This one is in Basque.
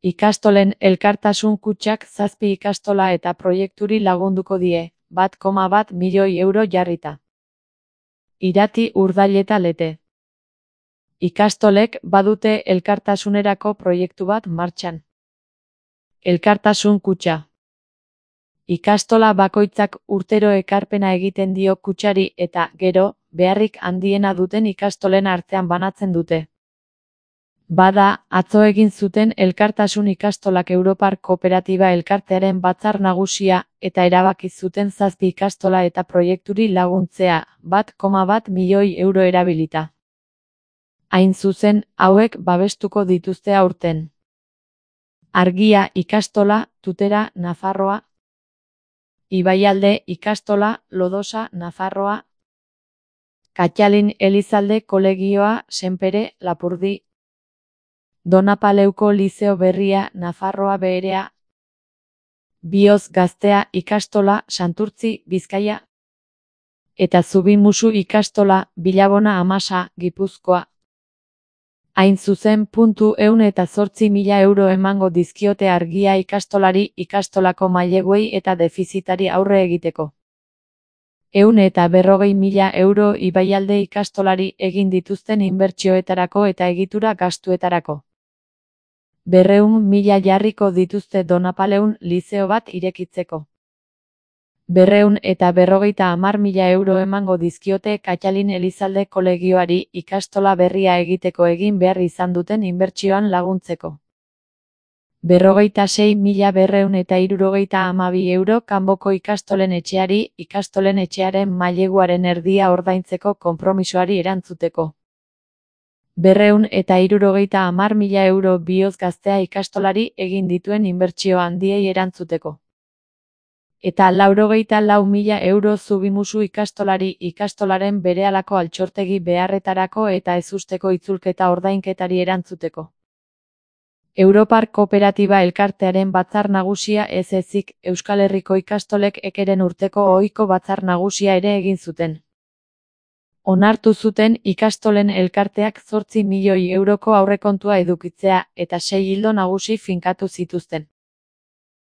Ikastolen elkartasun kutxak 7 ikastola eta proiekturi lagunduko die, 1,1 milioi euro jarrita. Irati, Urdail eta Lete. Ikastolek badute elkartasunerako proiektu bat martxan. Elkartasun kutxa. Ikastola bakoitzak urtero ekarpena egiten dio kutxari eta, gero, beharrik handiena duten ikastolen artean banatzen dute. Bada, atzo egin zuten Elkartasun Ikastolak Europar Kooperatiba Elkartearen batzar nagusia eta erabaki zuten 7 ikastola eta proiekturi laguntzea, 1,1 milioi euro erabilita. Hain zuzen, hauek babestuko dituzte aurten. Argia ikastola, Tutera, Nafarroa. Ibaialde ikastola, Lodosa, Nafarroa. Katxalin Elizalde kolegioa, Senpere, Lapurdi. Donapaleuko Lizeo Berria, Nafarroa Beherea. Bioz Gaztea ikastola, Santurtzi, Bizkaia. Eta Zubimusu ikastola, Bilabona Amasa, Gipuzkoa. Hain zuzen, 108.000 euro emango dizkiote Argia ikastolari ikastolako maileguei eta defizitari aurre egiteko. 140.000 euro Ibaialde ikastolari egin dituzten inbertsioetarako eta egitura gastuetarako. 200.000 jarriko dituzte Donapaleun lizeo bat irekitzeko. 250.000 euro emango dizkiote Katxalin Elizalde kolegioari ikastola berria egiteko egin behar izan duten inbertsioan laguntzeko. 26.272 euro kanboko ikastolen etxeari ikastolen etxearen maileguaren erdia ordaintzeko konpromisoari erantzuteko. 270.000 euro Bioz Gaztea ikastolari egin dituen inbertsio handiei erantzuteko. Eta 94.000 euro Zubimusu ikastolari ikastolaren berehalako altxortegi beharretarako eta ezusteko itzulketa ordainketari erantzuteko. Europar Kooperatiba Elkartearen batzar nagusia ez ezik, Euskal Herriko ikastolek ekeren urteko ohiko batzar nagusia ere egin zuten. Onartu zuten ikastolen elkarteak 8 milioi euroko aurrekontua edukitzea eta 6 ildo nagusi finkatu zituzten.